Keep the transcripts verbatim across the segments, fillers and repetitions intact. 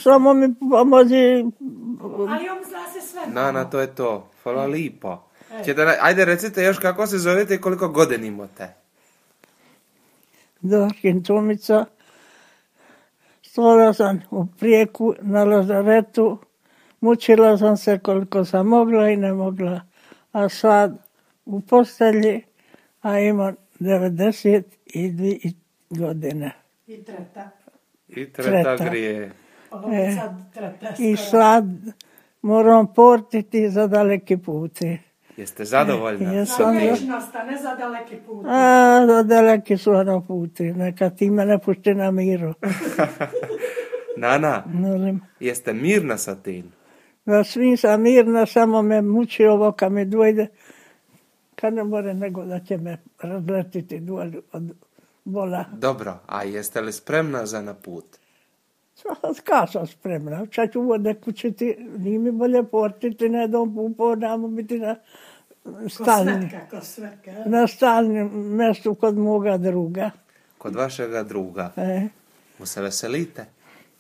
Samo mi pomozi. Ali on zna se sve. Nana, to je to. Hvala lipo. Ćete, ajde recite još kako se zovete i koliko godina imate. Dorkin Tomica. Stala sam u Prijeku na lazaretu. Mučila sam se koliko sam mogla i ne mogla. A sad u postelji, a imam devedeset dvije godine. I treta. I treta, Treta. grije. Ovo E, sad treta. I skoro. sad moram portiti za daleki puti. Jeste zadovoljna? Ja Za sam- vječnost, a ne za daleki put. A, za daleki su ono puti. Neka ti me ne pušti na miru. Nana, Molim. jeste mirna sa tim? Da svim sam mirna, samo me muči ovo kad mi dojde. Kad ne more nego da će me razletiti dole od bola. Dobro, a jeste li spremna za na put? Kad sam spremna? Čak ću vode kućiti, nije mi bolje portiti, ne dom pupo, namo biti na Ko stalni, svetka, ko svetka. na stalnim mjestu kod moga druga. Kod vašega druga. E, Mu se veselite?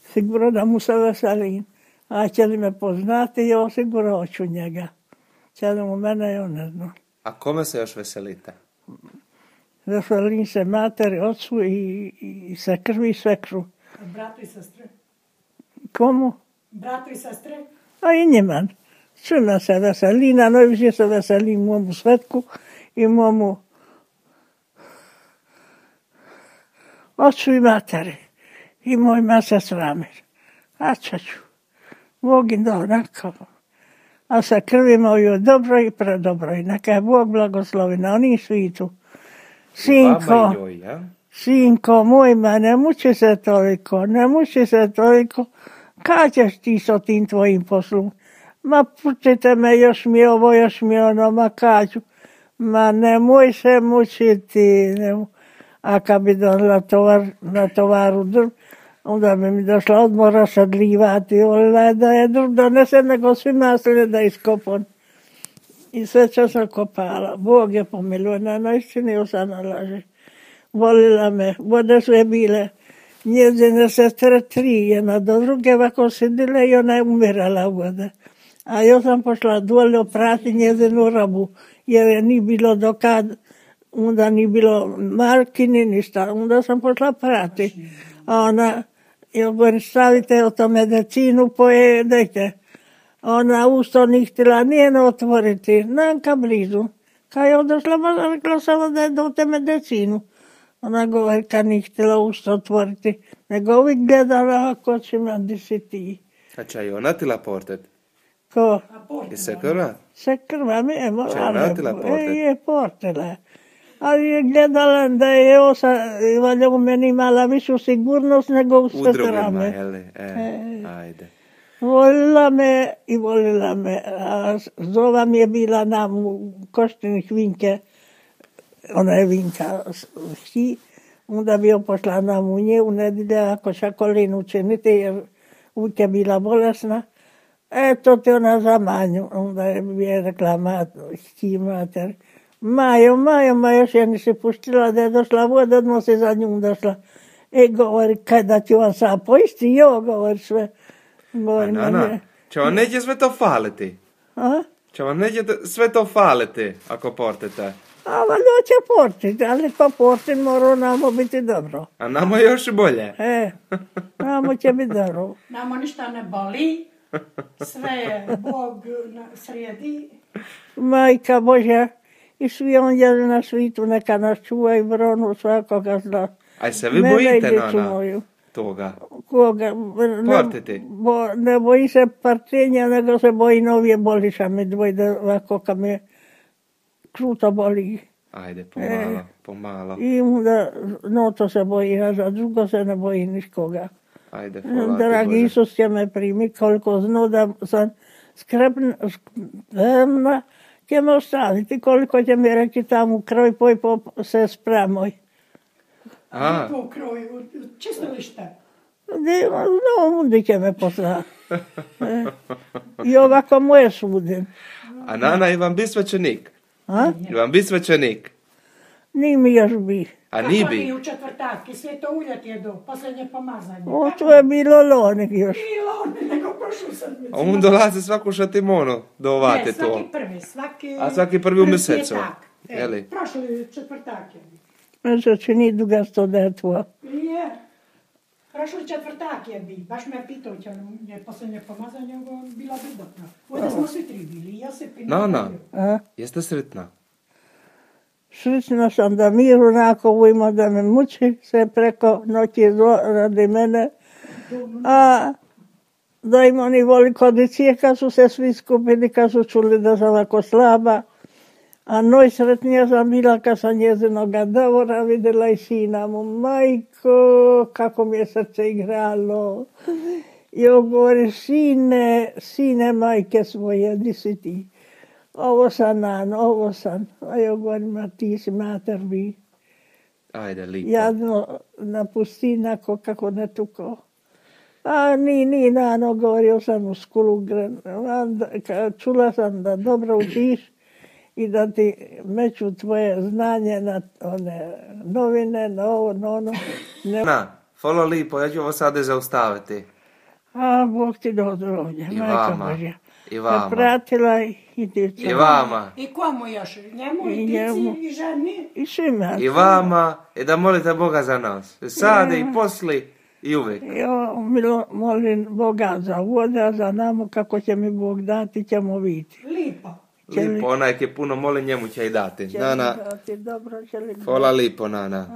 sigurno da mu se veselim. A će li me poznati, ja sigurno hoću njega. Će li mu mene, ja ne znam. A kome se još veselite? Veselim se materi, ocu i, i se krvi svekru. Bratu i sestre. Komu? Bratu i sestre. A i njima. Svima se veseli, na najviše se veseli momu Svetku i momu ocu i materi. I moj mesec Ramir. A čaču. Bog im da onako. A sa krvi moju dobro i predobro. I neka je Bog blagoslovi na onim svitu. Sinko. Vama i joj, ja? Sinko moj, ma ne muči se toliko, ne muči se toliko. Kad ćeš ti sa tim tvojim poslom? Ma pučite me, još mi ovo, još mi ono, ma kažu. Ma nemoj se mučiti. Ne, a kad bi donala tovar, na tovaru drv, onda bi mi došla odmora sadlivati. Ola, da je drv donese, nego svi masline da iskopon. I sve čo sam kopala. Bog je pomiluje, na najstini osana laže. Volila me, vode su je bile njezine sestre tri, jedna do druge ovako sidile i ona je umirala vode. A ja sam pošla dole oprati njezinu robu, jer je ni bilo dokad, onda ni bilo marki ni ništa, onda sam pošla prati. A ona, ja govorim, stavite o to medicinu, pojedete. Ona usto ni htjela nijeno otvoriti, nanka blizu. Kad je odošla, ma rekla samo da je dote medicinu. Ona govori kad nije htjela usta otvoriti, nego uvijek gledala ako će me di si ti. A će i ona tila portet? Ko? I se krva? Se krva mi je Će ona tila morala. portet? E, je portila. Ali je gledala da je osa, valjda u meni imala višu sigurnost nego u U drugima, sestrame. jeli? E, ajde. Volila me i volila me. A zova mi je bila nam u Koštinih Vinke, ona je Vinka ši, onda bi joj pošla na munje u nedjelje ako šakolin učiniti jer uvijek je bila bolesna. E, to ti ona za manju. Onda je mi je rekla mat, ši mater. Majo, Majo, ma još je nisi puštila da je došla voda, odmah se za njom došla. E, govori, kaj da ti on sam poisti, jo, govori sve. A Govori, Nana, će vam neće sve to faliti? A? Će vam neće sve to faliti ako portete? A valjda će portiti, ali pa portit mora namo biti dobro. A nama još bolje. E, namo će biti dobro. Namo ništa ne boli. Sve je Bog na- sredi. Majka Božja i svi anđeli na svitu neka nas čuva i bronu svakoga zla. Aj se vi Mene i bojite, djecu Nana, moju. toga? Koga? Ne, Portiti. bo, ne boji se partenja, nego se boji novije boliša mi dvojde ovako kad me kruto boli. Ajde, pomalo, pomalo. I onda no to se boji, a za drugo se ne boji niškoga. Ajde, hvala ti, Dragi Bože. Isus će me primi, koliko zna da sam skrbna, će me ostaviti, koliko će mi reći tamo u kroj, poj po se spremoj. A, Tu u kroju, u čistilište. No, onda će me poslati. E, I ovako moje sudim. a Nana, i vam bi svećenik? A? I vam bi svećenik? Nije mi još bi. A Kako ni ni bi? u četvrtatki, sve to ulje ti je do posljednje pomazanje. O, Kako to je bilo lonek još. bilo on, nego prošlu sedmicu. A on dolazi svaku šatimono do ovate Ne, to. svaki prvi, svaki... A svaki prvi u mjesecu, petak. E, jeli? Prošli četvrtak je. Znači, nije duga sto da je tvoja. Je. Prošli četvrtak je bi. Baš me pitao će je posljednje pomazanje, ovo bila bi dobro. Ovdje smo svi tri bili, Josip i No, no. Natalija. A? Jeste sretna? Srećna sam da mir onako ima da me muči se preko noći zlo radi mene. A da im oni voli kodicije kad su se svi skupili, kad su čuli da sam ovako slaba. A najsretnija sam bila kad sam njezinoga Davora vidjela i sina mu. Majko, kako mi je srce igralo. I on govori, sine, sine majke svoje, di si ti? Ovo sam nan, ovo sam. A ja govorim, a ti si mater bi. Ajde, lipo. Jadno napusti nako kako ne tuko. A ni, ni, nano, govorio sam u skulu, čula sam da dobro učiš i da ti meću tvoje znanje na one novine, na ovo, na ono. Ne... Na, hvala lipo, ja ću ovo sada zaustaviti. A, Bog ti do zdravlja, I majka vama, Božja. i vama. Pratila i djeca. I vama, I komu još? Njemu i I tici njemu. i ženi? I svima. i vama, i da molite Boga za nas. Sada i posli i uvijek. Ja milo, molim Boga za voda, za namo, kako će mi Bog dati, ćemo vidjeti. Lipo. Će li- Lipo, onaj ki puno moli njemu će i dati. Će li Nana, dati dobro, će li hvala lipo, Nana.